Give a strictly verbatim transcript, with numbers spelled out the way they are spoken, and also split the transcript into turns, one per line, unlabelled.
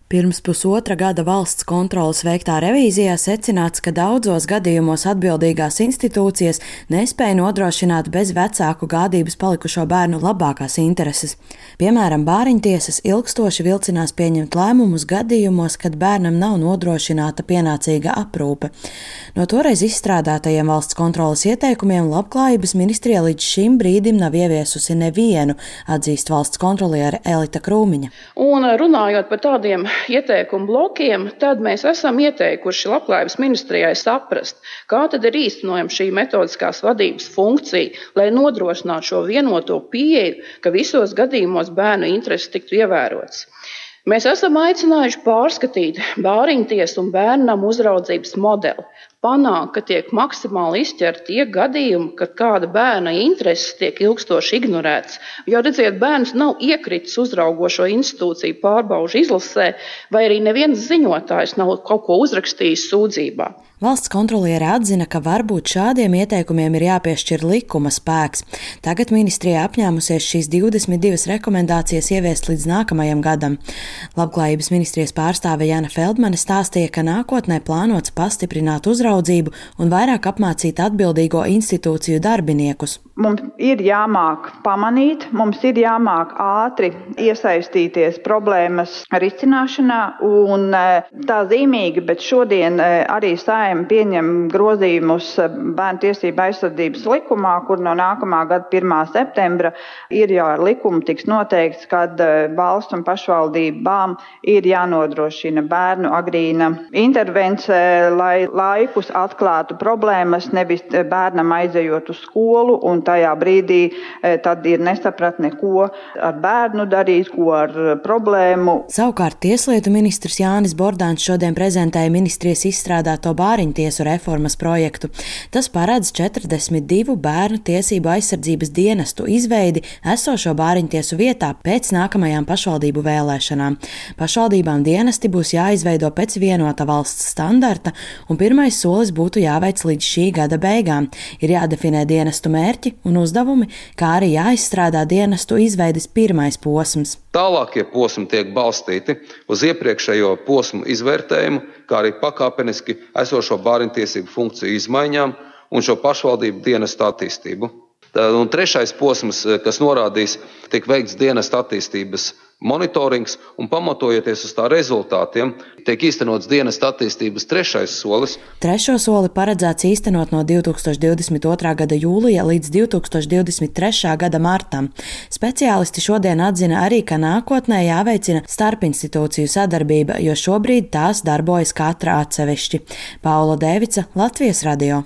Pirms pusotra gada valsts kontroles veiktā revīzijā secināts, ka daudzos gadījumos atbildīgās institūcijas nespēja nodrošināt bez vecāku gādības palikušo bērnu labākās intereses. Piemēram, bāriņtiesas ilgstoši vilcinās pieņemt lēmumus gadījumos, kad bērnam nav nodrošināta pienācīga aprūpe. No toreiz izstrādātajiem valsts kontroles ieteikumiem Labklājības ministrija līdz šim brīdim nav ieviesusi nevienu, atzīst valsts kontroliere Elita Krūmiņa.
Un runājot par tādiem ieteikumu blokiem, tad mēs esam ieteikuši Labklājības ministrijai saprast, kā tad ir īstenojama šī metodiskās vadības funkcija, lai nodrošinātu šo vienoto pieeju, ka visos gadījumos bērnu intereses tiktu ievērotas. Mēs esam aicinājuši pārskatīt bāriņtiesu un bērnam uzraudzības modeli, panākt, ka tiek maksimāli izķerti tie gadījumi, kad kāda bērna intereses tiek ilgstoši ignorētas. Jo, redziet, bērns nav iekritis uzraugošo institūciju pārbaužu izlasē, vai arī neviens ziņotājs nav kaut ko uzrakstījis sūdzībā.
Valsts kontroliere atzina, ka varbūt šādiem ieteikumiem ir jāpiešķir likuma spēks. Tagad ministrija apņēmusies šīs divdesmit divas rekomendācijas ieviest līdz nākamajam gadam. Labklājības ministrijas pārstāve Jana Feldmane stāstīja, ka nākotnē plānots pastiprināt uzraudzību un vairāk apmācīt atbildīgo institūciju darbiniekus.
Mums ir jāmāk pamanīt, mums ir jāmāk ātri iesaistīties problēmas risināšanā, un tā zīmīgi, bet šodien arī Saeima pieņem grozījumus Bērnu tiesību aizsardzības likumā, kur no nākamā gada pirmā septembra ir jau ar likumu tiks noteikts, kad valsts un pašvaldībām ir jānodrošina bērnu agrīna intervence, lai laikus atklātu problēmas, nevis bērnam aizejot uz skolu, un tajā brīdī tad ir nesapratne, ko ar bērnu darīt, ko ar problēmu.
Savukārt Tieslietu ministrs Jānis Bordāns šodien prezentēja ministrijas izstrādāto bāriņtiesu reformas projektu. Tas paredz četrdesmit divu bērnu tiesību aizsardzības dienestu izveidi esošo bāriņtiesu vietā pēc nākamajām pašvaldību vēlēšanām. Pašvaldībām dienesti būs jāizveido pēc vienota valsts standarta, un pirmais solis būtu jāveic līdz šī gada beigām. Ir jādefinē dienestu mērķi un uzdevumi, kā arī jāizstrādā dienestu izveides pirmais posms.
Tālākie posmi tiek balstīti uz iepriekšējo posmu izvērtējumu, kā arī pakāpeniski esošo bāriņtiesību funkciju izmaiņām un šo pašvaldību dienestu attīstību. Un trešais posms, kas norādīs, tiek veikts dienestu attīstības monitorings, un pamatojoties uz tā rezultātiem, tiek īstenots dienestu attīstības trešais solis.
Trešo soli paredzēts īstenot no divi tūkstoši divdesmit otrā gada jūlija līdz divi tūkstoši divdesmit trešā gada martam. Speciālisti šodien atzina arī, ka nākotnē jāveicina starpinstitūciju sadarbība, jo šobrīd tās darbojas katra atsevišķi. Paula Dēvica, Latvijas radio.